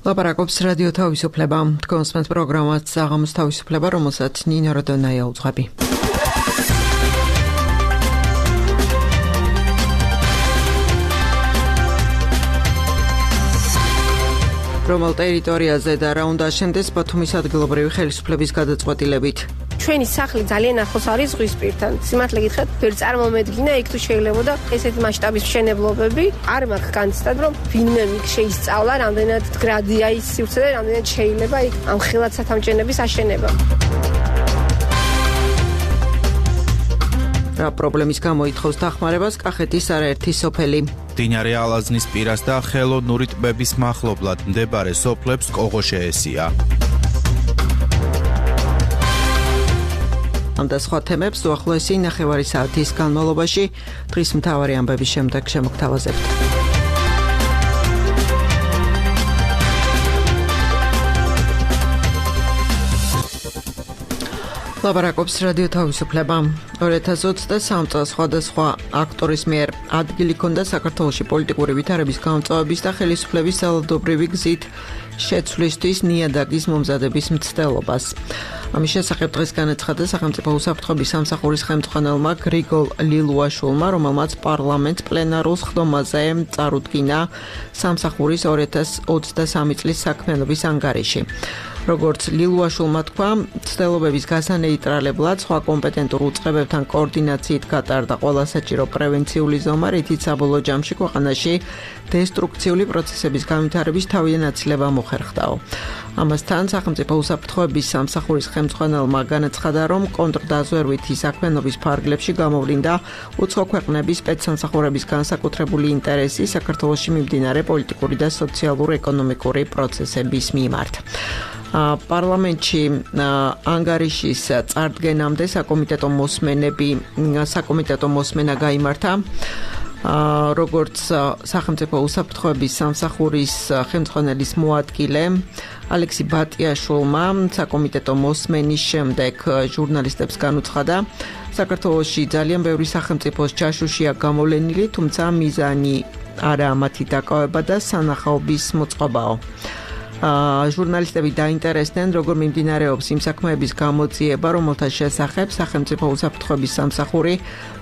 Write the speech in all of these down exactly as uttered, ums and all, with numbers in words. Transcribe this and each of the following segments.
ლაპარაკობს რადიო თავისუფლება. თქვენს პროგრამას საღამოს თავისუფლება, რომელსაც ნინო როდონაია უძღვები. რომელ ტერიტორიაზე და რა უნდა აშენდეს ბათუმის ადგილობრივი ხელისუფლების გადაწყვეტილებით. ჩვენი სახლი ძალიან ახლოს არის ზღვის პირთან. სიმართლე გითხრათ, ვერ წარმომედგინა იქ თუ შეიძლებოდა ესეთი მასშტაბის მშენებლობები. არ მაქვს განცდად, რომ ვინმე იქ შეისწავლა, რამდენად გრადია ის სივრცე და რამდენად შეიძლება იქ ამ ხელად სათამჭენების აშენება. რა პრობლემის გამო ითხოვს დახმარებას კახეთის არაერთი სოფელი. მდინარე ალაზნის პირას და ხელოვნური ტბების მახლობლად მდებარე სოფლებს კოღო შეესია. ამ და სხვა თემებს უახლოესი ნახევარი საათის განმავლობაში დღის მთავარი ამბების შემდეგ შემოგთავაზებთ. ლაპარაკობს რადიო თავისუფლება. ორი ათას ოცდასამი წელს სხვადასხვა აქტორის მიერ ადგილი ჰქონდა საქართველოში პოლიტიკური ვითარების გამწვავების და ხელისუფლების ძალადობრივი გზით შეცვლისთვის ნიადაგის მომზადების მცდელობას. ამის შესახებ დღეს განაცხადა სახელმწიფო უსაფრთხოების სამსახურის ხელმძღვანელმა გრიგოლ ლილუაშვილმა, რომელმაც პარლამენტს პლენარულ სხდომაზე წარუდგინა სამსახურის ორი ათას ოცდასამი წლის საქმიანობის ანგარიში. როგორც ლილუაშვილმა თქვა, მცდელობების გასანეიტრალებლად სხვა კომპეტენტურ უწყებებთან კოორდინაციით გატარდა ყველა საჭირო პრევენციული ზომა, რითიც საბოლოო ჯამში ქვეყანაში დესტრუქციული პროცესების განვითარების თავიანაცილება მოხერხდაო. ამასთან სახელმწიფო უსაფრთხოების სამსახურის ხელმძღვანელმა განაცხადა, რომ კონტრდაზვერვითი საქმიანობის ფარგლებში გამოვლინდა უცხო ქვეყნების სპეცსამსახურების განსაკუთრებული ინტერესი საქართველოში მიმდინარე პოლიტიკური და სოციალურ-ეკონომიკური პროცესების მიმართ. პარლამენტში ანგარიშის წარდგენამდე საკომიტეტო მოსმენები საკომიტეტო მოსმენა გაიმართა. როგორც სახელმწიფო უსაფრთხოების სამსახურის ხელმძღვანელის მოადგილე ალექსი ბატიაშვილმა საკომიტეტო მოსმენის შემდეგ ჟურნალისტებს განუცხადა, საქართველოში ძალიან ბევრი სახელმწიფოს ჩაშუშია გამოვლენილი, თუმცა მიზანი არაა მათი დაკავება და სანახაობის მოწყობაო. ჟურნალისტები დაინტერესდნენ, როგორ მიმდინარეობს იმ საქმეების გამოძიება, რომელთა შესახებ სახელმწიფო უსაფრთხოების სამსახური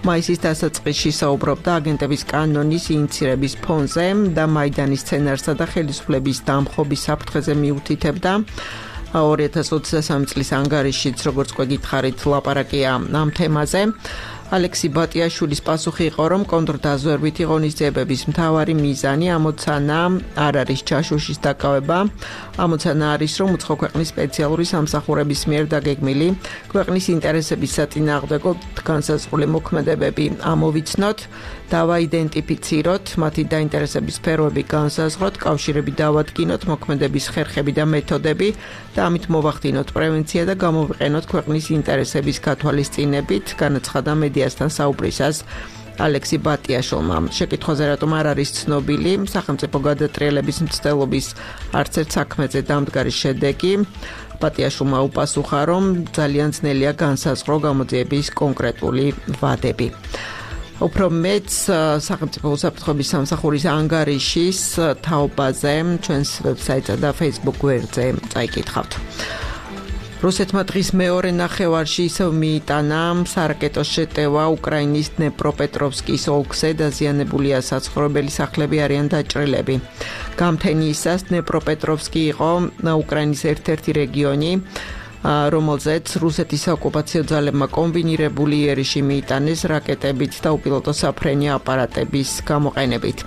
მაისის დასაწყისში საუბრობდა აგენტების კანონის ინიცირების ფონზე და მაიდანის სცენარსა და ხელისუფლების დამხობის საფრთხეზე მიუთითებდა. ორი ათას ოცდასამი წლის ანგარიშიც, როგორც გვეკითხარით, ლაპარაკია ამ თემაზე. ალექსი ბატიაშვილის პასუხი იყო, რომ კონტრდაზვერვითი ღონისძიებების მთავარი მიზანი ამოცანა არ არის ჩაშუშის დაკავება. ამოცანა არის, რომ უცხო ქვეყნის სპეციალური სამსახურების მიერ დაგეგმილი ქვეყნის ინტერესების საწინააღმდეგო განსაზღვრული მოქმედებები ამოვიცნოთ, დავაიდენტიფიციროთ, მათი დაინტერესების სფეროები განსაზღვროთ, კავშირები დავადგინოთ, მოქმედების ხერხები და მეთოდები და ამით მოვახდინოთ პრევენცია და გამოვიყენოთ ქვეყნის ინტერესების გათვალისწინებით, განაცხადა მედიასთან საუბრისას ალექსი ბატიაშვილმა. შეკითხვაზე რატომ არ არის ცნობილი სახელმწიფო გადატრიალების მცდელობის არც ერთ საქმეზე დამდგარი შედეგი, ბატიაშვილმა უპასუხა, რომ ძალიან ძნელია განსაზღვრო გამოძიების კონკრეტული ვადები. უფრო მეც სახელმწიფო უსაფრთხოების სამსახურის ანგარიშის თაობაზე ჩვენს ვებსაიტსა და Facebook გვერდზე წაიკითხავთ. რუსეთმა დღის მეორე ნახევარში ისევ მიიტანა სარაკეტო შეტევა უკრაინის დნეპროპეტროვსკის ოლქზე, დაზიანებულია საცხოვრებელი სახლები, არიან დაჭრილები. გამთენიისას დნეპროპეტროვსკი იყო უკრაინის ერთ-ერთი რეგიონი, რომელზეც რუსეთის საოკუპაციო ძალებმა კომბინირებული იერიში მიიტანეს რაკეტებით და უპილოტო საფრენი აპარატების გამოყენებით.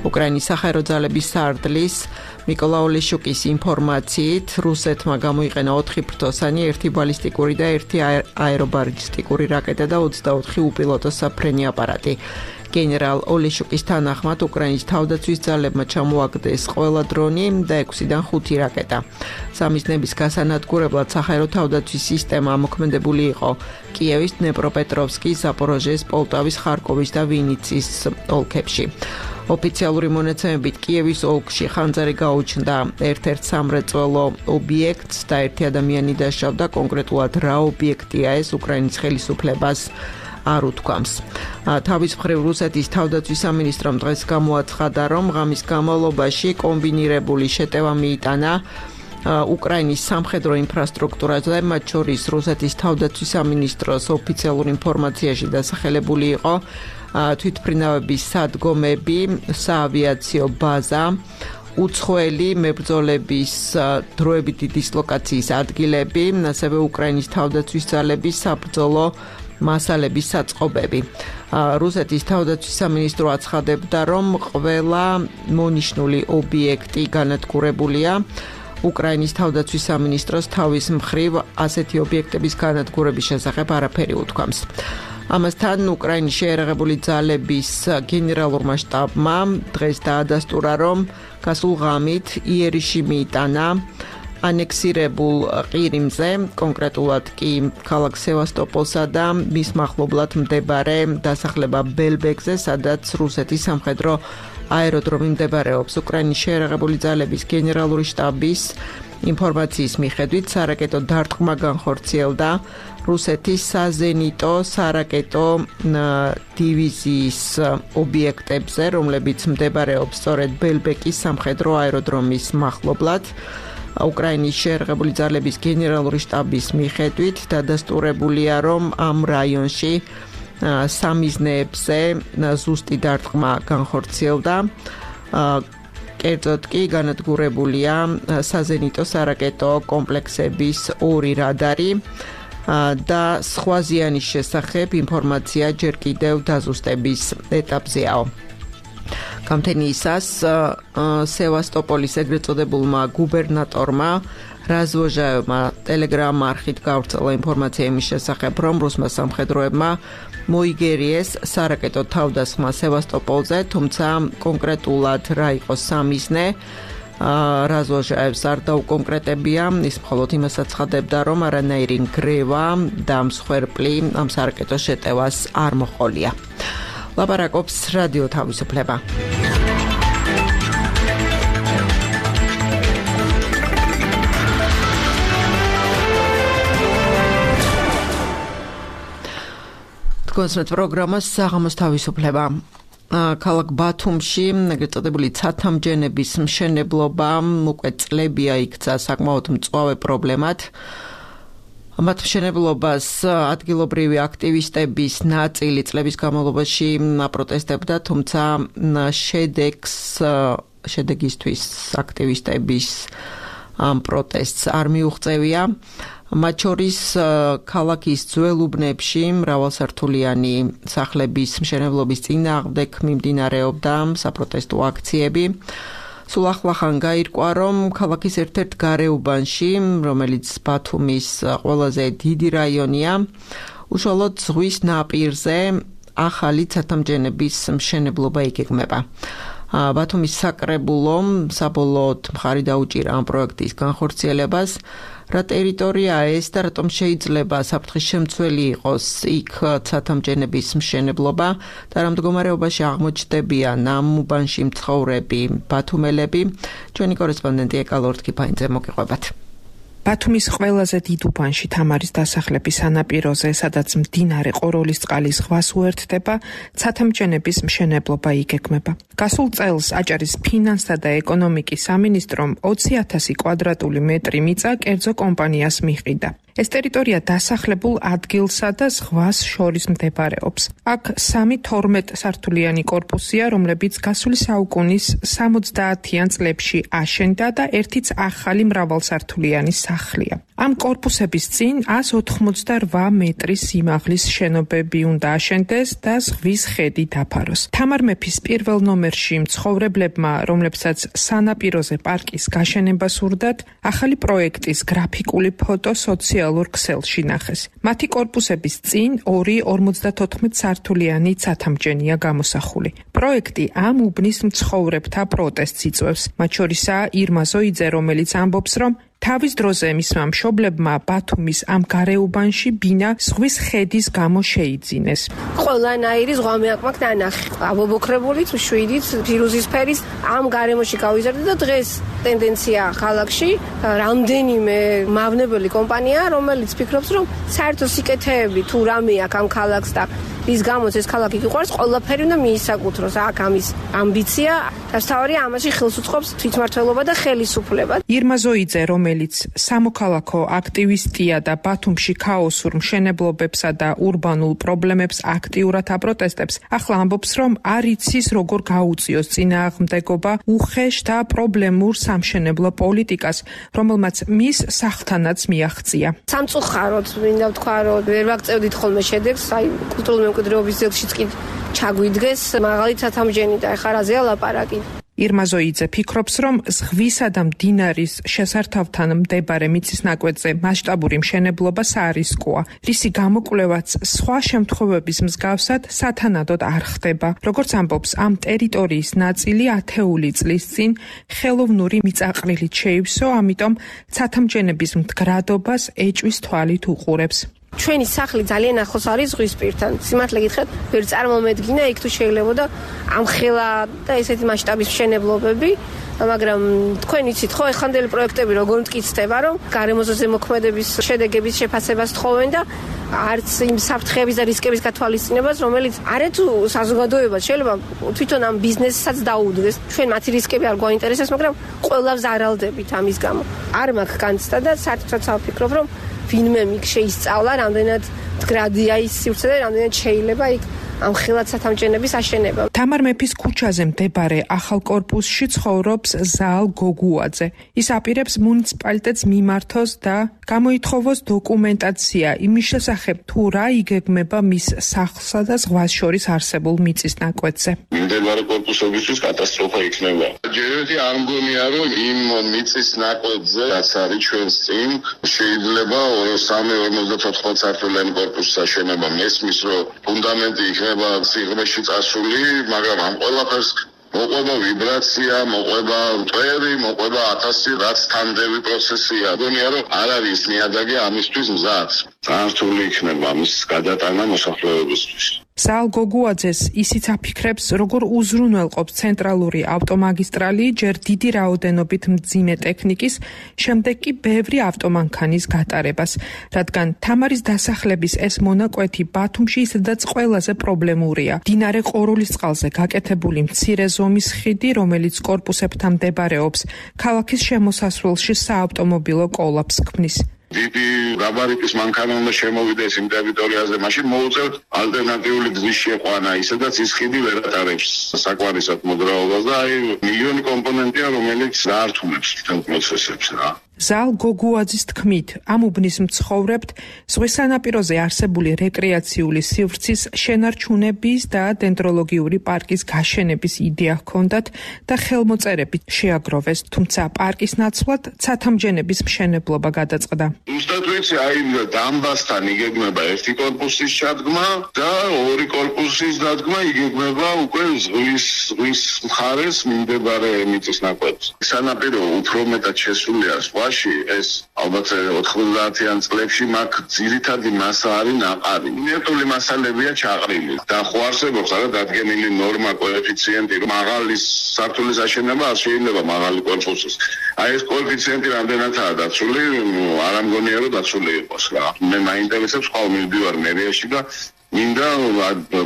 უკრაინის საჰაერო ძალების სარდლის მიკოლა ოლეშუკის ინფორმაციით, რუსეთმა გამოიყენა ოთხი ფრთოსანი, ერთი ბალისტიკური და ერთი აერობალისტიკური რაკეტა და ოცდაოთხი უპილოტო საფრენი აპარატი. გენერალ ოლეშუკის თანახმად უკრაინის თავდაცვის ძალებმა ჩამოაგდეს ყველა დრონი და ექვსიდან ხუთი რაკეტა. სამიზნების გასანადგურებლად საჰაერო თავდაცვის სისტემა მოქმედებული იყო კიევის, დნეპროპეტროვსკის, ზაპოროჟიეს, პოლტავის, ხარკოვის და ვინიცის ოლქებში. ოფიციალური მონაცემებით კიევის ოლქში ხანძარი გაუჩნდა ერთ-ერთ სამრეწველო ობიექტს და ერთი ადამიანი დაშავდა, კონკრეტულად რა ობიექტია ეს უკრაინის ხელისუფლებას არ უთქვამს. თავის მხრივ რუსეთის თავდაცვის სამინისტრომ დღეს გამოაცხადა, რომ ღამის განმავლობაში კომბინირებული შეტევა მიიტანა უკრაინის სამხედრო ინფრასტრუქტურაზე, მათ შორის რუსეთის თავდაცვის სამინისტროს ოფიციალურ ინფორმაციაში დასახელებული იყო თვითმფრინავების სადგომები, საავიაციო ბაზა, უცხოელი მებრძოლების დროებითი დისლოკაციის ადგილები, ასევე უკრაინის თავდაცვის ძალების საბრძოლო მასალების საწყობები. რუსეთის თავდაცვის სამინისტრო აცხადებდა, რომ ყველა მონიშნული ობიექტი განადგურებულია. უკრაინის თავდაცვის სამინისტროს თავის მხრივ ასეთი ობიექტების განადგურების შესახებ არაფერი უთქვამს. ამასთან უკრაინის შეიარაღებული ძალების გენერალურმა შტაბმა დღეს დაადასტურა, რომ გასულ ღამით იერიში მიიტანა ანექსირებულ ყირიმზე, კონკრეტულად კი ქალაქ სევასტოპოლსა და მის მახლობლად მდებარე დასახლება ბელბეკზე, სადაც რუსეთის სამხედრო აეროდრომი მდებარეობს. უკრაინის შეიარაღებული ძალების გენერალური შტაბის ინფორმაციის მიხედვით სარაკეტო დარტყმა განხორციელდა რუსეთის საზენიტო სარაკეტო დივიზიის ობიექტებზე, რომლებიც მდებარეობს სწორედ ბელბეკის სამხედრო აეროდრომის მახლობლად. უკრაინის შეიარაღებული ძალების გენერალური შტაბის მიხედვით დადასტურებულია, რომ ამ რაიონში სამიზნეებზე ზუსტი დარტყმა განხორციელდა. კერძოდ კი განადგურებულია საზენიტო სარაკეტო კომპლექსების ორი რადარი და სხვა ზიანის შესახებ ინფორმაცია ჯერ კიდევ დაზუსტების ეტაპზეა. გამთენიისას სევასტოპოლის ეგრეთ წოდებულმა გუბერნატორმა რაზვოჟაევმა ტელეგრამ არხით გავრცელა ინფორმაცია იმის შესახებ, რომ რუსმა სამხედროებმა მოიგერიეს სარაკეტო თავდასხმა სევასტოპოლზე, თუმცა კონკრეტულად რა იყო სამიზნე, რაზვოჟაევს არ დაუკონკრეტებია. ის მხოლოდ იმას აცხადებდა, რომ არანაირი ნგრევა და მსხვერპლი ამ სარაკეტო შეტევას არ მოჰყოლია. ლაპარაკობს რადიო თავისუფლება. კონსერტ პროგრამა საღამოს თავისუფლება. ქალაქ ბათუმში ეგრეთ წოდებული ცათამჯენების მშენებლობა უკვე წლებია იქცა საკმაოდ მწვავე პრობლემად. მათ მშენებლობას ადგილობრივი აქტივისტების ნაწილი წლების განმავლობაში აპროტესტებდა, თუმცა შედეგს შედეგისთვის აქტივისტების ამ პროტესტს არ მიუღწევია. მათ შორის ქალაქის ძველ უბნებში მრავალსართულიანი სახლების მშენებლობის წინააღმდეგ მიმდინარეობდა საპროტესტო აქციები. სულ ახლახან გაირკვა, რომ ქალაქის ერთ-ერთ გარეუბანში, რომელიც ბათუმის ყველაზე დიდი რაიონია, უშუალოდ ზღვის ნაპირზე ახალი ცათამჯენების მშენებლობა იგეგმება. ბათუმის საკრებულომ საბოლოოდ მხარი დაუჭირა ამ პროექტის განხორციელებას. რა ტერიტორიაა ეს და რატომ შეიძლება საფრთხის შემცველი იყოს იქ ცათამჯენების მშენებლობა და რა მდგომარეობაში აღმოჩნდებიან ამ უბანში მცხოვრები ბათუმელები? ჩვენი კორესპონდენტი ეკალორდ კიფაინძე მოგიყვებათ. ბათუმის ყველაზე დიდ უბანში თამარის დასახლების სანაპიროზე, სადაც მდინარე ყოროლისწყალი ზღვას უერთდება, ცათამჯენების მშენებლობა იგეგმება. გასულ წელს აჭარის ფინანსთა და ეკონომიკის სამინისტრომ ოცი ათასი კვადრატული მეტრი მიწა კერძო კომპანიას მიჰყიდა. ეს ტერიტორია დასახლებულ ადგილსა და ზღვას შორის მდებარეობს. აქ სამი თორმეტ სართულიანი კორპუსია, რომლებიც გასული საუკუნის სამოცდაათიან წლებში აშენდა და ერთიც ახალი მრავალსართულიანი სახლია. ამ კორპუსების წინ ას ოთხმოცდარვა მეტრის სიმაღლის შენობები უნდა აშენდეს და ზღვის ხედი დაფაროს. თამარ მეფის პირველ ნომერში მცხოვრებლებმა, რომლებსაც სანაპიროზე პარკის გაშენება სურდათ, ახალი პროექტის გრაფიკული ფოტო სოციალურ ქსელში ნახეს. მათი კორპუსების წინ ორი ორმოცდათოთხმეტ სართულიანი ცათამჯენია გამოსახული. პროექტი ამ უბნის მცხოვრებთა პროტესტს იწვევს. მათ შორისაა ირმა ზოიძე, რომელიც ამბობს, რომ თავის დროზე მისმა მშობლებმა ბათუმის ამ გარეუბანში ბინა ზღვის ხედის გამო შეიძინეს. ყველანაირი ზღვა მეაკმაკ დანახი. აბობოქრებულით, შვიდით, ფირუზის ფერის ამ გარემოში გავიზარდე და დღეს ტენდენცია ქალაქში რამდენიმე მავნებელი კომპანია, რომელიც ფიქრობს, რომ საერთო სიკეთეები თუ რამე აქვს ამ ქალაქს და რის გამოც ეს ქალაქი გიყვარს, ყველაფერი უნდა მიისაკუთროს. აქ ამის ამბიცია, დასთავარია ამაში ხელს უწყობს თვითმმართველობა და ხელისუფლება. ირმა ზოიძე, რომელიც სამოქალაქო აქტივისტია და ბათუმში ქაოსურ მშენებლობებსა და ურბანულ პრობლემებს აქტიურად აპროტესტებს, ახლა ამბობს, რომ არ იცის როგორ გაუწიოს წინააღმდეგობა უხეშ და პრობლემურ სამშენებლო პოლიტიკას, რომელმაც მის სახთანაც მიაღწია. სამწუხაროდ მინდა ვთქვა, რომ ვერ ვაგწევდით ხოლმე შედეგს, აი კულტურული მემკვიდრეობის ძეგლშიც კი ჩაგვიდგეს მაღალი ცათამბჯენი და ეხლა რაზეა ლაპარაკი. ირმა ზოიძე ფიქრობს, რომ ზღვისა და მდინარის შესართავთან მდებარე მიწის ნაკვეთზე მასშტაბური მშენებლობა საარისკოა, რისი გამოკვლევაც სხვა შემთხვევების მსგავსად სათანადოდ არ ხდება. როგორც ამბობს, ამ ტერიტორიის ნაწილი ათეული წლის წინ ხელოვნური მიწაყრილით შეივსო, ამიტომ ცათამბჯენების მდგრადობას ეჭვის თვალით უყურებს. ჩვენი სახლი ძალიან ახლოს არის ზღვის პირთან. სიმართლე გითხრათ, ვერ წარმომედგინა იქ თუ შეიძლებოდა ამხელა და ესეთი მასშტაბის მშენებლობები, მაგრამ თქვენ იცით ხო, ეხანდელი პროექტები როგორ მტკიცდება, რომ გარემოზე ზემოქმედების შედეგების შეფასებას თხოვენ და არც იმ საფრთხეების და რისკების გათვალისწინებას, რომელიც არეთუ საზოგადოებას შეიძლება თვითონ ამ ბიზნესსაც დაუდგეს. ჩვენ მათი რისკები არ გვაინტერესებს, მაგრამ ყველას არალდებით ამის გამო. არ მაქვს განცდა და საერთოდ ვფიქრობ, რომ ვინმე მიგ შეისწავლა, რამდენად მდგრადია ის სივრცე და რამდენად შეიძლება იქ ამ ხელად ცათამბჯენების აშენება. თამარ მეფის ქუჩაზე მდებარე ახალ კორპუსში ცხოვრობს ზაალ გოგუაძე. ის აპირებს მუნიციპალიტეტს მიმართოს და გამოითხოვოს დოკუმენტაცია იმის შესახებ, თუ რა იგეგმება მის სახლსა და ზღვას შორის არსებულ მიწის ნაკვეთზე. მიმდებარე კორპუსებისთვის კატასტროფა იქნება. ჯერეთი არ მგონია, რომ იმ მიწის ნაკვეთზე, რაც არის ჩვენს წინ, შეიძლება სამი ორმოცდათოთხ სართულიანი კორპუსის აშენება. მესმის, რომ ფუნდამენტი იქნება სიღრმეში წასული, მაგრამ ამ ყველაფერს მოყვება ვიბრაცია, მოყვება მტვერი, მოყვება ათასი რაც თანდევი პროცესია. გონია, რომ არ არის ნიადაგი ამისთვის მზად. ძალიან რთული იქნება ამის გადატანა მოსახლეობისთვის. ზაალ გოგუაძეს ისიც აფიქრებს, როგორ უზრუნველყოფს ცენტრალური ავტომაგისტრალი ჯერ დიდი რაოდენობით მძიმე ტექნიკის, შემდეგ კი ბევრი ავტომანქანის გატარებას, რადგან თამარის დასახლების ეს მონაკვეთი ბათუმში ისედაც ყველაზე პრობლემურია. მდინარე ყორულისწყალზე გაკეთებული მცირე ზომის ხიდი, რომელიც კორპუსებთან მდებარეობს, ქალაქის შემოსასვლელში საავტომობილო კოლაფს ქმნის. დიდი გაბარიტის მანქანა უნდა შემოვიდეს იმ ტერიტორიაზე, მაშინ მოუწევთ ალტერნატიული გზის შეყვანა, ისედაც ის ხიდი ვერ ატარებს საკვარისად მოძრაობას და აი მილიონი კომპონენტია, რომელიც გაართულებს თელ პროცესებს რა. ზაალ გოგუაძის თქმით, ამ უბნის მცხოვრებთ ზღვის სანაპიროზე არსებული რეკრეაციული სივრცის შენარჩუნების და დენდროლოგიური პარკის გაშენების იდეა ჰქონდათ და ხელმოწერებით შეაგროვეს, თუმცა პარკის ნაცვლად ცათამბჯენების მშენებლობა გადაწყდა. ზუსტად ვიცი, აი დამბასთან იგეგმება ერთი კორპუსის ჩადგმა და ორი კორპუსის დადგმა იგეგმება უკვე ზღვის ზღვის მხარეს მიმდებარე მიწის ნაკვეთს. სანაპირო უფრო მეტად შესულია ეს ალბათ ოთხმოცდაათიან წლებში მაგ ძირითადი მასა არის ნაყარი. მინერალური მასალებია ჩაყრილი. და ხო არსებობს არა დადგენილი ნორმა კოეფიციენტი, რომ მაღალი სართულის აშენება არ შეიძლება მაღალი კორპუსის. აი ეს კოეფიციენტი რამდენადაა დაცული, არ ამგონია რომ დაცული იყოს რა. მე მაინტერესებს ხვალ მივდივარ მერიაში და მინდა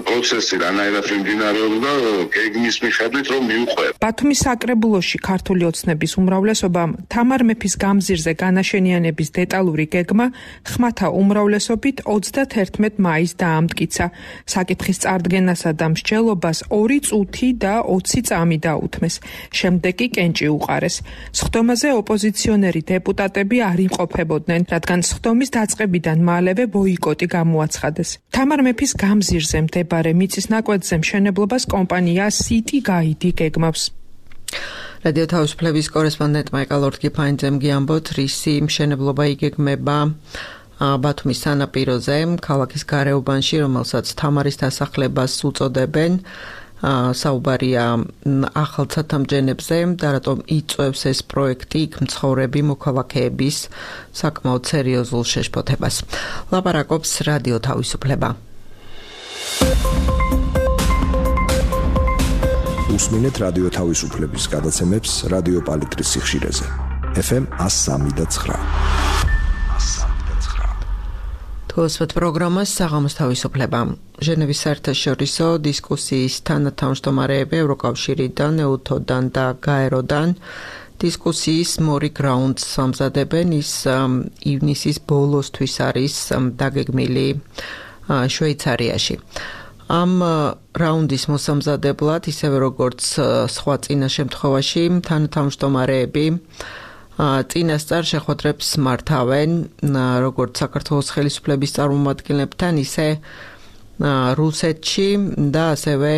პროცესი რანაირად მიმდინარეობს და გეგმის მიხედვით რომ მივყვერ. ბათუმის საკრებულოში ქართული ოცნების უმრავლესობამ თამარ მეფის გამზირზე განაშენიანების დეტალური გეგმა ხმათა უმრავლესობით ოცდაათერთმეტ მაისს დაამტკიცა. საკითხის წარდგენასა და მსჯელობას ორი წუთი და ოცი წამი დაუთმეს. შემდეგ კი კენჭი უყარეს. სხდომაზე ოპოზიციონერი დეპუტატები არ იმყოფებოდნენ, რადგან სხდომის დაწყებიდან მალევე ბოიკოტი გამოაცხადეს. თამარ მეფის გამზირზე მდებარე მიწის ნაკვეთზე მშენებლობას კომპანია City Guide გეგმავს. რადიო თავისუფლების კორესპონდენტ მაიკალ ორთგიფაინძემ გიამბოთ, რისი მშენებლობა იგეგმება ბათუმის სანაპიროზე, ქალაქის გარეუბანში, რომელსაც თამარის დასახლებას უწოდებენ. საუბარია ახალ ცათამბჯენებზე და რატომ იწვევს ეს პროექტი იქ მცხოვრები მოქალაქეების საკმაოდ სერიოზულ შეშფოთებას. ლაპარაკობს რადიო თავისუფლება. უსმინეთ რადიო თავისუფლების გადაცემებს რადიო პალიტრის სიხშირეზე. ეფ ემ one oh three point nine. თუ გოსვეთ პროგრამას საღამოს თავისუფლება. ჟენევის საერთაშორისო დისკუსიის თანათავმჯდომარეები ევროკავშირიდან, ეუთოდან და გაეროდან დისკუსიის მორიგ რაუნდს ამზადებენ. ის ივნისის ბოლოსთვის არის დაგეგმილი შვეიცარიაში. ამ რაუნდის მოსამზადებლად, ისევე როგორც სხვა წინა შემთხვევაში, თანათავმჯდომარეები წინასწარ შეხვედრებს მართავენ, როგორც საქართველოს ხელისუფლების წარმომადგენლებთან, ისე რუსეთში და ასევე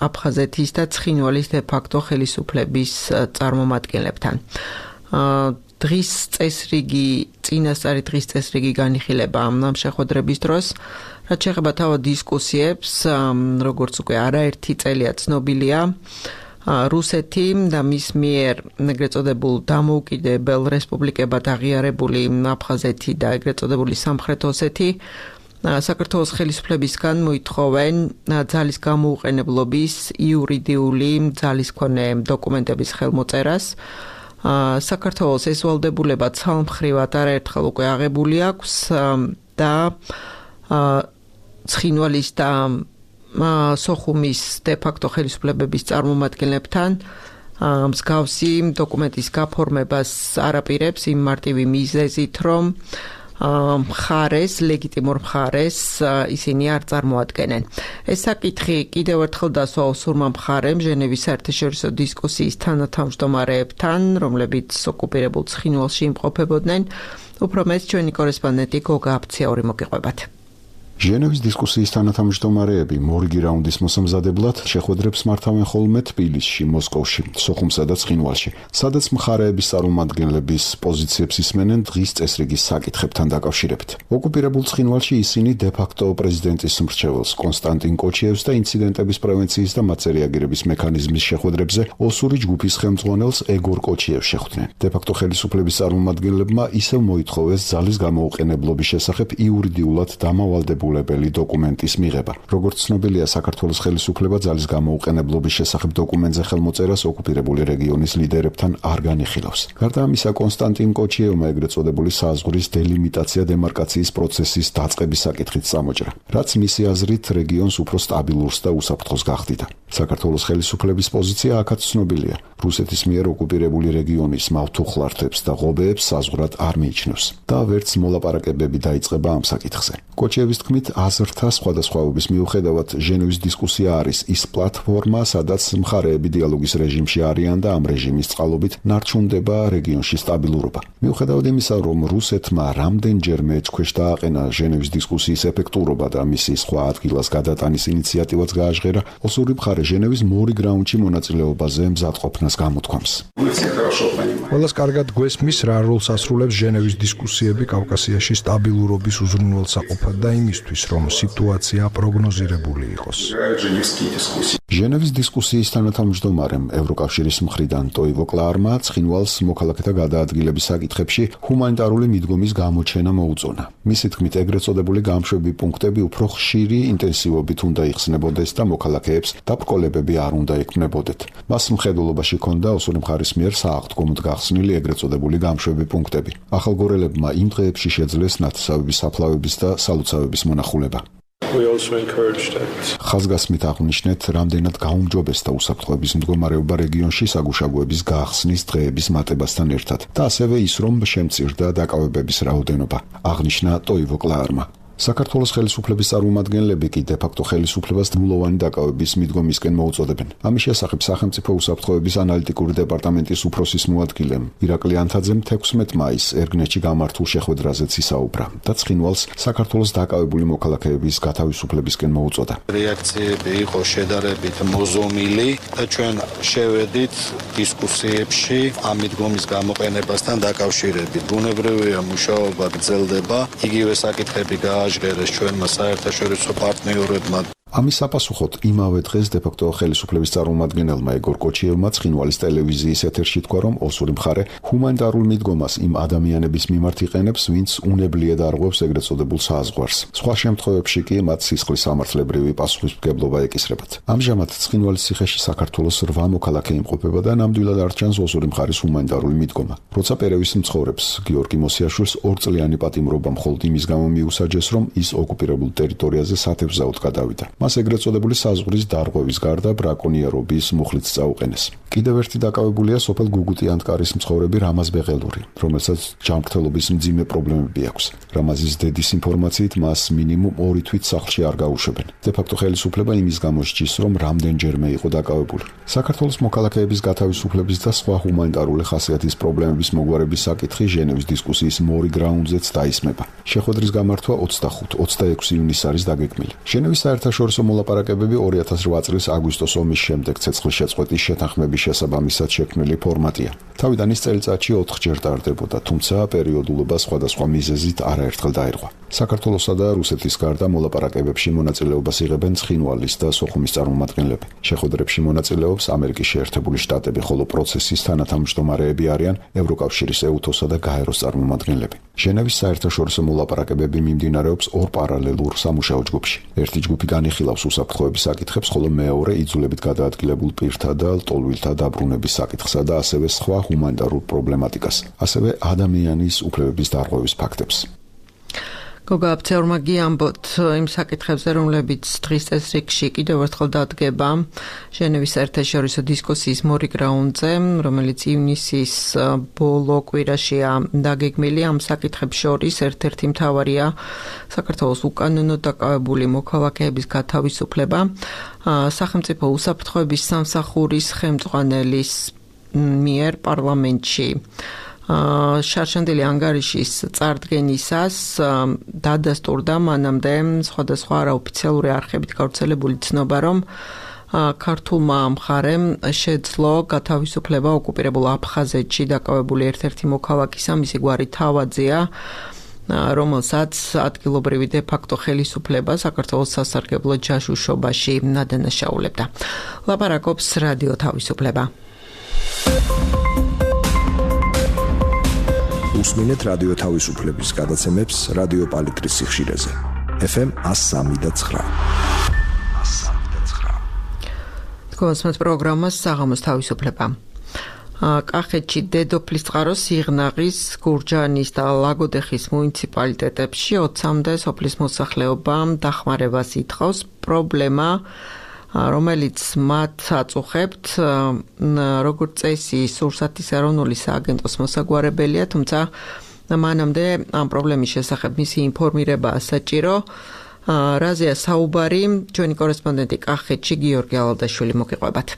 აფხაზეთის და ცხინვალის დე-ფაქტო ხელისუფლების წარმომადგენლებთან. დღის წესრიგი, წინასწარი დღის წესრიგი განიხილება ამ შეხვედრების დროს, რაც შეეხება თავად დისკუსიებს, როგორც უკვე არაერთი წელია ცნობილია, რუსეთი და მის მიერ ეგრეთ წოდებულ დამოუკიდებელ რესპუბლიკებად აღიარებული აფხაზეთი და ეგრეთ წოდებული სამხრეთ ოსეთი საქართველოს ხელისუფლებისგან მოითხოვენ ძალის გამოუყენებლობის იურიდიული ძალისქონე დოკუმენტების ხელმოწერას. საქართველოს ეს ვალდებულება ცალმხრივად არაერთხელ უკვე აღებული აქვს და ცხინვალის და სოხუმის დე-ფაქტო ხელისუფლებების წარმომადგენლებთან მსგავსი დოკუმენტის გაფორმებას არაპირებს იმ მარტივი მიზეზით, რომ მხარეს, ლეგიტიმურ მხარეს ისინი არ წარმოადგენენ. ეს საკითხი კიდევ ერთხელ დასვა ოსურმა მხარემ ჟენევის საერთაშორისო დისკუსიის თანათავმჯდომარეებთან, რომლებიც ოკუპირებულ ცხინვალში იმყოფებოდნენ. უფრო მეტ ჩვენი კორესპონდენტი გოგა აფციური მოგიყვებათ. ჟენევის დისკუსიის თანათავმჯდომარეები მორიგი რაუნდის მოსამზადებლად შეხვედრებს მართავენ ხოლმე თბილისში, მოსკოვში, სოხუმსა და ცხინვალში, სადაც მხარეების წარმომადგენლების პოზიციებს ისმენენ დღის წესრიგის საკითხებთან დაკავშირებით. ოკუპირებულ ცხინვალში ისინი დე-ფაქტო პრეზიდენტის მრჩეველს კონსტანტინ კოჩიევს და ინციდენტების პრევენციის და მათ რეაგირების მექანიზმის შეხვედრებზე ოსური ჯგუფის ხელმძღვანელს ეგორ კოჩიევს შეხვდნენ. დე-ფაქტო ხელისუფლების წარმომადგენლებმა ისევ მოითხოვეს ძალის გამოუყენებლობის შესახებ იურიდიულად დამავალდებულ დოკუმენტის მიღება. როგორც ცნობილია, საქართველოს ხელისუფლება ძალის გამოუყენებლობის შესახებ დოკუმენტზე ხელმოწერას ოკუპირებული რეგიონის ლიდერებთან არ განიხილავს. გარდა ამისა, კონსტანტინ კოჩიევმა ეგრეთ წოდებული საზღვრის დელიმიტაცია დემარკაციის პროცესის დაწყების საკითხით წამოჭრა, რაც მისი აზრით რეგიონს უფრო სტაბილურს და უსაფრთხოს გახდიდა. საქართველოს ხელისუფლების პოზიცია აქაც ცნობილია. რუსეთის მიერ ოკუპირებული რეგიონის მავთუხლართებს და ღობეებს საზღვრად არ მიიჩნევს და ვერც მოლაპარაკებები დაიწყება ამ საკითხზე. კოჩიევის თქმით, აზრთა სხვადასხვაობის მიუხედავად, ჟენევის დისკუსია არის ის პლატფორმა, სადაც მხარეები დიალოგის რეჟიმში არიან და ამ რეჟიმის წყალობით ნარჩუნდება რეგიონში სტაბილურობა. მიუხედავად იმისა, რომ რუსეთმა რამდენჯერმე ეჭქვეშ დააყენა ჟენევის დისკუსიის ეფექტურობა და მისი სხვა ადგილას გადატანის ინიციატივაც გააჟღერა, ოსური მხარე ჟენევის მორიგ რაუნდში მონაწილეობაზე მზადყოფნას გამოთქვამს. ყველას კარგად გვესმის, რა როლს ასრულებს ჟენევის დისკუსიები კავკასიაში სტაბილურობის უზრუნველსაყოფად და იმისთვის, რომ სიტუაცია პროგნოზირებული იყოს. ჟენევის დისკუსიის თანათავმჯდომარემ ევროკავშირის მხრიდან ტოივო კლარმა ცხინვალს მოქალაქეთა გადაადგილების საკითხებში ჰუმანიტარული მიდგომის გამოჩენა მოუწონა. მისი თქმით, ეგრეთ წოდებული გამშვები პუნქტები უფრო ხშირი ინტენსივობით უნდა იხსნებოდეს და მოქალაქეებს დაბრკოლებები არ უნდა ექმნებოდეთ. მას მხედველობაში ჰქონდა ოსური მხარის მიერ სააღდგომოდ გახსნილი ეგრეთ წოდებული გამშვები პუნქტები. ახალგორელებმა იმ დღეებში შეძლეს ნათესავების საფლავების და სალოცავების მონახულება. ხაზგასმით აღვნიშნეთ, რამდენად გაუმჯობესდა უსაფრთხოების მდგომარეობა რეგიონში საგუშაგოების გახსნის დღეების მატებასთან ერთად და ასევე ის, რომ შემწირდა დაკავებების რაოდენობა, აღნიშნა ტოივო კლარმა. საქართველოს ხელისუფლების წარმომადგენლები კი დე-ფაქტო ხელისუფლებას დმულოვანი დაკავების მიდგომისკენ მოუწოდებენ. ამის შესახებ სახელმწიფო უსაფრთხოების ანალიტიკური დეპარტამენტის უფროსის მოადგილემ ირაკლი ანთაძემ თექვსმეტ მაისს ერგნეთში გამართულ შეხვედრაზეც ისაუბრა და ცხინვალს საქართველოს დაკავებული მოქალაქეების გათავისუფლებისკენ მოუწოდა. რეაქციები იყო შედარებით მოზომილი და ჩვენ შევედით დისკუსიებში ამ მიდგომის გამოყენებასთან დაკავშირებით. ბუნებრივია, მუშაობა გრძელდება, იგივე საკითხები გააჟღერეს ჩვენმა საერთაშორისო პარტნიორებმა. ამის საპასუხოდ იმავე დღეს დე-ფაქტო ხელისუფლების წარმომადგენელმა ეგორ კოჩიევმა ცხინვალის ტელევიზიის ეთერში თქვა, რომ ოსური მხარე ჰუმანიტარულ მიდგომას იმ ადამიანების მიმართ იყენებს, ვინც უნებლიეთ არღვევს ეგრეთ წოდებულ საზღვარს. სხვა შემთხვევებში კი მათ სისხლის სამართლებრივი პასუხისმგებლობა ეკისრებათ. ამჟამად ცხინვალის ციხეში საქართველოს რვა მოქალაქე იმყოფება და ნამდვილად არ ჩანს ოსური მხარის ჰუმანიტარული მიდგომა. როცა პერევის მცხოვრებს გიორგი მოსიაშვილს ორწლიანი პატიმრობა მხოლოდ იმის გამო მიუსაჯეს, რომ ის ოკუპირებულ ტერიტორიაზე სათევზაოდ გადავიდა. მას ეგრეთ წოდებული საზღვრის დარღვევის გარდა ბრაკონიერობის მუხლიც წაუყენეს. კიდევ ერთი დაკავებულია სოფელ გუგუტი-ანტკარის მცხოვრები რამაზ ბეღელური, რომელსაც ჯანმრთელობის მძიმე პრობლემები აქვს. რამაზის დედის ინფორმაციით მას მინიმუმ ორი თვით სახლში არ გაუშვებენ. დე-ფაქტო ხელისუფლება იმის გამო სჯის, რომ რამდენჯერმე იყო დაკავებული. საქართველოს მოქალაქეების გათავისუფლების და სხვა ჰუმანიტარული ხასიათის პრობლემების მოგვარების საკითხი ჟენევის დისკუსიის მორიგ რაუნდზეც დაისმება. შეხვედრის გამართვა ოცდახუთი ოცდაექვსი ივნისს არის დაგეგმილი. ჟენევის საერთაშორისო მოლაპარაკებები ორი ათას რვა წლის აგვისტოს ომის შემდეგ ცეცხლის შეწყვეტის შეთანხმების შესაბამისად შექმნილი ფორმატია. თავიდან ის წელიწადში ოთხჯერ ტარდებოდა, თუმცა პერიოდულობა სხვადასხვა მიზეზით არაერთხელ დაირღვა. საქართველოსა და რუსეთის გარდა მოლაპარაკებებში მონაწილეობას იღებენ ცხინვალის და სოხუმის წარმომადგენლები. შეხვედრებში მონაწილეობს ამერიკის შეერთებული შტატები, ხოლო პროცესის თანათავმჯდომარეები არიან ევროკავშირის ეუთოსა და გაეროს წარმომადგენლები. ჟენევის საერთაშორისო მოლაპარაკებები მიმდინარეობს ორ პარალელურ სამუშაო ჯგუფში. ერთი ჯგუფი განიხილავს უსაფრთხოების საკითხებს, ხოლო მეორე იძულებით გადაადგილებულ პირთა და ლტოლვილთა დაბრუნების საკითხსა და ასევე სხვა ჰუმანიტარულ პრობლემატიკას, ასევე ადამიანის უფლებების დარღვევის ფაქტებს. გოგა აფცეურმა გიამბოთ იმ საკითხებზე, რომლებიც დღის წესრიგში კიდევ ერთხელ დადგება ჟენევის საერთაშორისო დისკუსიის მორიგ რაუნდზე, რომელიც ივნისის ბოლო კვირაშია დაგეგმილი. ამ საკითხებს შორის ერთ-ერთი მთავარია საქართველოს უკანონოდ დაკავებული მოქალაქეების გათავისუფლება. სახელმწიფო უსაფრთხოების სამსახურის ხელმძღვანელის მიერ პარლამენტში შარშანდილი ანგარიშის წარდგენისას დადასტურდა მანამდე სხვადასხვა არაოფიციალური არხებით გავრცელებული ცნობა, რომ ქართულმა მხარემ შეძლო გათავისუფლება ოკუპირებულ აფხაზეთში დაკავებული ერთ-ერთი მოქალაქისა, მისი გვარი თავაძეა, რომელსაც ადგილობრივი დე-ფაქტო ხელისუფლება საქართველოს სასარგებლო ჯაშუშობაში ნადანაშაულებდა. ლაპარაკობს რადიო თავისუფლება. უსმინეთ რადიო თავისუფლების გადაცემებს რადიო პალიტრის სიხშირეზე. ეფ ემ one oh three და nine. თქვენს პროგრამას საღამოს თავისუფლება. კახეთში დედოფლის წყაროს სიღნაღის, გურჯაანის და ლაგოდეხის მუნიციპალიტეტებში ოცამდე სოფლის მოსახლეობამ დახმარებას ითხოვს. პრობლემა, რომელიც მათ აწუხებთ, როგორც წესი სურსათის ეროვნული სააგენტოს მოსაგვარებელია, თუმცა მანამდე ამ პრობლემის შესახებ მისი ინფორმირებაა საჭირო. რაზეა საუბარი, ჩვენი კორესპონდენტი კახეთში გიორგი ალადაშვილი მოგიყვებათ.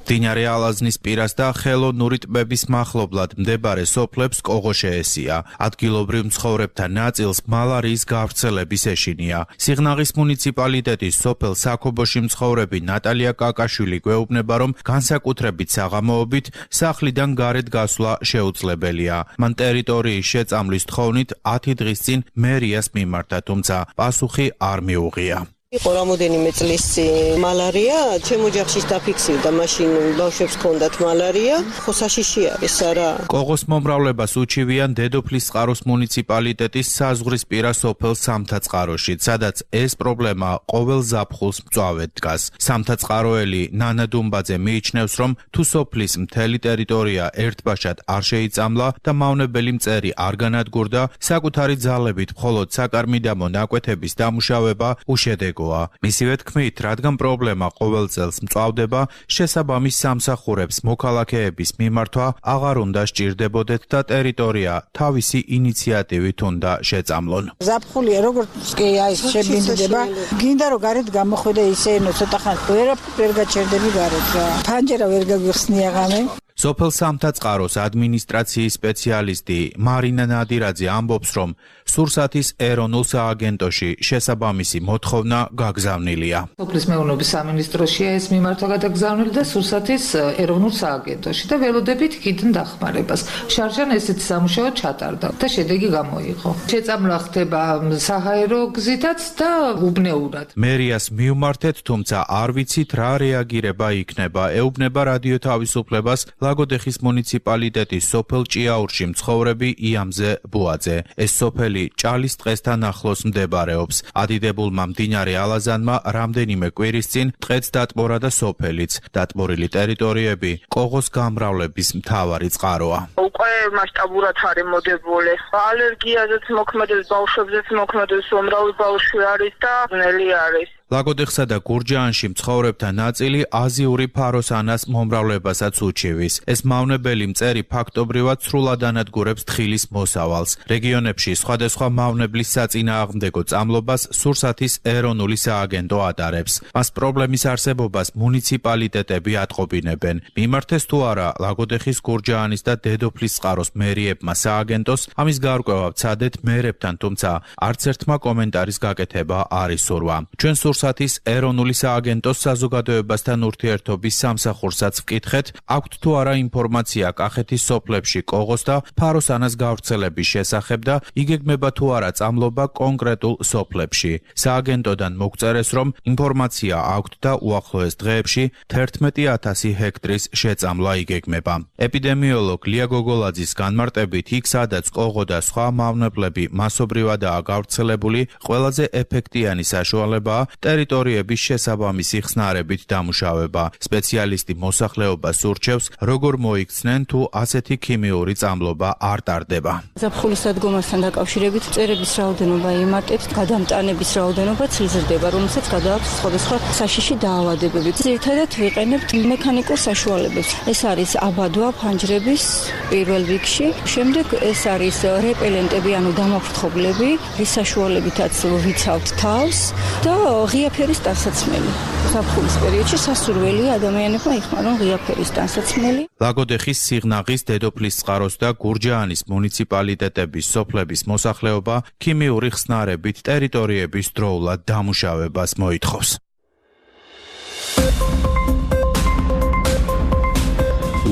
მდინარე ალაზნის პირას და ხელოვნური ტბების მახლობლად მდებარე სოფლებს კოღო შეესია. ადგილობრივ მცხოვრებთა ნაწილს მალარიის გავრცელების ეშინია. სიღნაღის მუნიციპალიტეტის სოფელ საქობოში მცხოვრები ნატალია კაკაშვილი გვეუბნება, რომ განსაკუთრებით საღამოობით სახლიდან გარეთ გასვლა შეუძლებელია. მან ტერიტორიის შეწამლის თხოვნით ათი დღის წინ მერიას მიმართა, თუმცა პასუხი არ მიუღია. იყო რამოდენიმე წლის წინ მალარია, ჩემ ოჯახშიც დაფიქსირდა, მაშინ ბავშვებს ჰქონდათ მალარია, ხო საშიში არის არა. კოღოს მომრავლებას უჩივიან დედოფლის წყაროს მუნიციპალიტეტის საზღვრისპირა სოფელ სამთაწყაროში, სადაც ეს პრობლემა ყოველ ზაფხულს მწვავედ დგას. სამთაწყაროელი ნანა დუმბაძე მიიჩნევს, რომ თუ სოფლის მთელი ტერიტორია ერთბაშად არ შეიწამლა და მავნებელი მწერი არ განადგურდა, საკუთარი ძალებით მხოლოდ საკარმიდამო ნაკვეთების დამუშავება უშედეგო. მისივე თქმით, რადგან პრობლემა ყოველ წელს მწვავდება, შესაბამის სამსახურებს მოქალაქეების მიმართვა აღარ უნდა სჭირდებოდეთ და ტერიტორია თავისი ინიციატივით უნდა შეწამლონ. ზაფხულია, როგორც კი აი შებინდება, გინდა რომ გარეთ გამოხვიდე ისე, ნუ ცოტა ხანი ვერ ვერ გაჩერდები გარეთ რა. ფანჯერა ვერ გაგვიხსნია ღამე. სოფელ სამთაწყაროს ადმინისტრაციის სპეციალისტი მარინა ნადირაძე ამბობს, რომ სურსათის ეროვნულ სააგენტოში შესაბამისი მოთხოვნა გაგზავნილია. სოფლის მეურნეობის სამინისტროშია ეს მიმართვა გადაგზავნილი და სურსათის ეროვნულ სააგენტოში და ველოდებით იქიდან დახმარებას. შარჟან ესეთი სამუშაო ჩატარდა და შედეგი გამოიღო. შეწამლა ხდება საჰაერო გზითაც და უბნეურად. მერიას მივმართეთ, თუმცა არ ვიცით რა რეაგირება იქნება. ეუბნება რადიო თავისუფლებას ლაგოდეხის მუნიციპალიტეტის სოფელ ჭიაურში მცხოვრები იამზე ბუაძე. ეს სოფელი ჭალის ტყესთან ახლოს მდებარეობს. ადიდებულმა მდინარე ალაზანმა რამდენიმე კვირის წინ ტყეც დატბორა და სოფელიც. დატბორილი ტერიტორიები კოღოს გამრავლების მთავარი წყაროა. უკვე მასშტაბურად არის მოდებული. ალერგიაზეც მოქმედებს, ბავშვებზეც მოქმედებს, უმრავი ბავშვი არის და ძნელი არის. ლაგოდეხსა და გურჯაანში მცხოვრებთა ნაწილი აზიური ფაროსანას მომრავლებასაც უჩივის. ეს მავნებელი მწერი ფაქტობრივად სრულად ანადგურებს თხილის მოსავალს. რეგიონებში სხვადასხვა მავნებლის საწინააღმდეგო წამლობას სურსათის ეროვნული სააგენტო ატარებს. მას პრობლემის არსებობას მუნიციპალიტეტები ატყობინებენ. მიმართეს თუ არა ლაგოდეხის, გურჯაანის და დედოფლისწყაროს მერიებმა სააგენტოს, ამის გარკვევა ვცადეთ მერებთან, თუმცა არც ერთმა კომენტარის გაკეთება არ ისურვა. ჩვენ სურსათის ეროვნული სააგენტოს საზოგადოებასთან ურთიერთობის სამსახურსაც ვკითხეთ, აქვთ თუ არა ინფორმაცია კახეთის სოფლებში კოღოს და ფაროსანას გავრცელების შესახებ და იგეგმება თუ არა წამლობა კონკრეტულ სოფლებში. სააგენტოდან მოგწერეს, რომ ინფორმაცია აქვთ და უახლოეს დღეებში თერთმეტი ათასი ჰექტრის შეწამლა იგეგმება. ეპიდემიოლოგ ლია გოგოლაძის განმარტებით, იქ სადაც კოღო და სხვა მავნებლები მასობრივადაა გავრცელებული, ყველაზე ეფექტიანი საშუალებაა ტერიტორიების შესაბამისი ხსნარებით დამუშავება. სპეციალისტი მოსახლეობას ურჩევს, როგორ მოიქცნენ თუ ასეთი ქიმიური წამლობა არ ტარდება. ზაფხულის დადგომასთან დაკავშირებით მწერების რაოდენობა იმატებს, გადამტანების რაოდენობაც იზრდება, რომელსაც გადააქვს სხვადასხვა საშიში დაავადებები. ძირითადად ვიყენებთ მექანიკურ საშუალებებს. ეს არის აბადვა ფანჯრების პირველ რიგში, შემდეგ ეს არის რეპელენტები, ანუ დამაფრთხობლები, რის საშუალებითაც ვიცავთ თავს და ღია ფერის ტანსაცმელი. ზაფხულის პერიოდში სასურველია ადამიანებმა იხმარონ ღია ფერის ტანსაცმელი. ლაგოდეხის, სიღნაღის, დედოფლისწყაროს და გურჯაანის მუნიციპალიტეტების სოფლების მოსახლეობა ქიმიური ხსნარებით ტერიტორიების დროულად დამუშავებას მოითხოვს.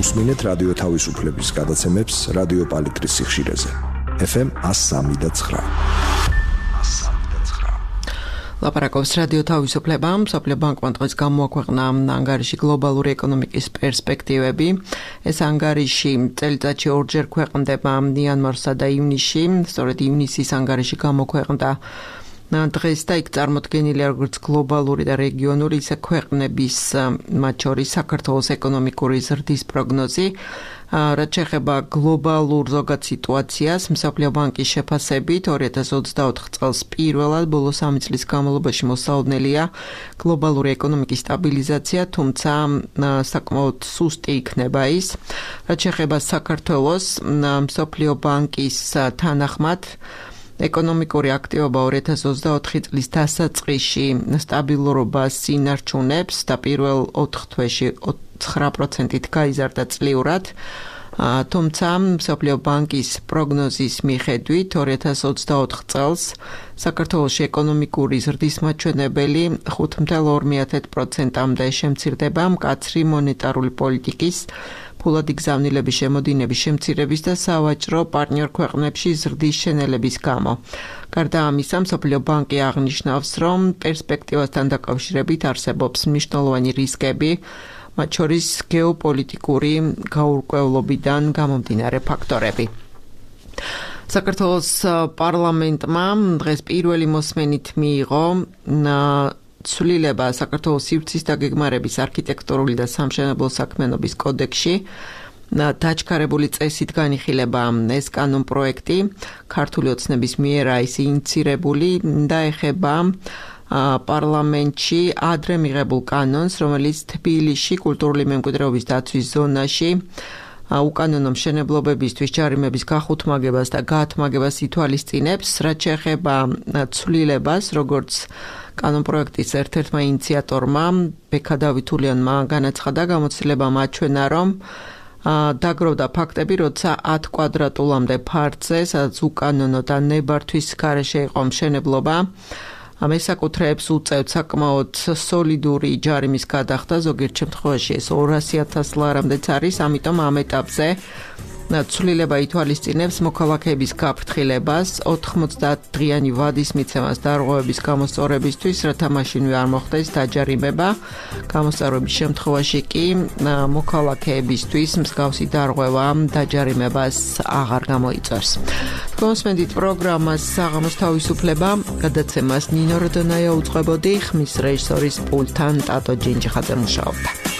უსმინეთ რადიო თავისუფლების გადაცემებს რადიო პალიტრის სიხშირეზე. ეფ ემ one oh three point nine. ლაპარაკობს რადიო თავისუფლება. მსოფლიო ბანკმა დღეს გამოაქვეყნა ანგარიში გლობალური ეკონომიკის პერსპექტივები. ეს ანგარიში წელიწადში ორჯერ ქვეყნდება იანვარსა და ივნისში. სწორედ ივნისის ანგარიში გამოქვეყნდა დღეს და იქ წარმოდგენილია როგორც გლობალური და რეგიონული, ისე ქვეყნების, მათ შორის საქართველოს ეკონომიკური ზრდის პროგნოზი. რაც შეეხება გლობალურ ზოგად სიტუაციას, მსოფლიო ბანკის შეფასებით ორი ათას ოცდაოთხ წელს პირველად ბოლო სამი წლის განმავლობაში მოსაოდნელია გლობალური ეკონომიკის სტაბილიზაცია, თუმცა საკმაოდ სუსტი იქნება ის. რაც შეეხება საქართველოს, მსოფლიო ბანკის თანახმად ეკონომიკური აქტივობა ორი ათას ოცდაოთხი წლის დასაწყისში სტაბილურობას ინარჩუნებს და პირველ ოთხ თვეში ცხრა პროცენტით გაიზარდა წლიურად. თუმცა მსოფლიო ბანკის პროგნოზის მიხედვით ორი ათას ოცდაოთხ წელს საქართველოში ეკონომიკური ზრდის მაჩვენებელი ხუთ ათას ორი პროცენტამდე შემცირდება მკაცრი მონეტარული პოლიტიკის, ფულადი გზავნილების შემოდინების შემცირების და სავაჭრო პარტნიორ ქვეყნებში ზრდის შენელების გამო. გარდა ამისა, მსოფლიო ბანკი აღნიშნავს, რომ პერსპექტივასთან დაკავშირებით არსებობს მნიშვნელოვანი რისკები, მათ შორის გეოპოლიტიკური გაურკვევლობიდან გამომდინარე ფაქტორები. საქართველოს პარლამენტმა დღეს პირველი მოსმენით მიიღო ცვლილება საქართველოს სივრცის დაგეგმარების არქიტექტურული და სამშენებლო საქმიანობის კოდექსში. დაჩქარებული წესით განიხილება ეს კანონპროექტი ქართული ოცნების მიერაა ის ინიცირებული და ეხება პარლამენტში ადრე მიღებულ კანონს, რომელიც თბილისში კულტურული მემკვიდრეობის დაცვის ზონაში უკანონო მშენებლობებისთვის ჯარიმების გახუთმაგებას და გაათმაგებას ითვალისწინებს, რაც შეეხება ცვლილებას, როგორც კანონპროექტის ერთ-ერთმა ინიციატორმა ბექა დავითულიანმა განაცხადა, გამოცდილებამ აჩვენა, რომ დაგროვდა ფაქტები, როცა ათ კვადრატულამდე ფართზე, სადაც უკანონო და ნებართვის გარეშე იყო მშენებლობა, მესაკუთრეებს უწევთ საკმაოდ სოლიდური ჯარიმის გადახდა, ზოგიერთ შემთხვევაში ეს ორასი ათას ლარამდეც არის, ამიტომ ამ ეტაპზე ცვლილება ითვალისწინებს მოქალაქეების გაფრთხილებას, ოთხმოცდაათ დღიანი ვადის მიცემას დარღვევების გამოსწორებისთვის, რათა მაშინვე არ მოხდეს დაჯარიმება. გამოსწორების შემთხვევაში კი მოქალაქეებისთვის მსგავსი დარღვევა დაჯარიმებას აღარ გამოიწვევს. კონსმენდით პროგრამას საღამოს თავისუფლება, გადაცემას ნინო როდონაია უძღვებოდი, ხმის რეჟისორის პულტთან ტატო ჯინჯიხაძე მუშაობდა.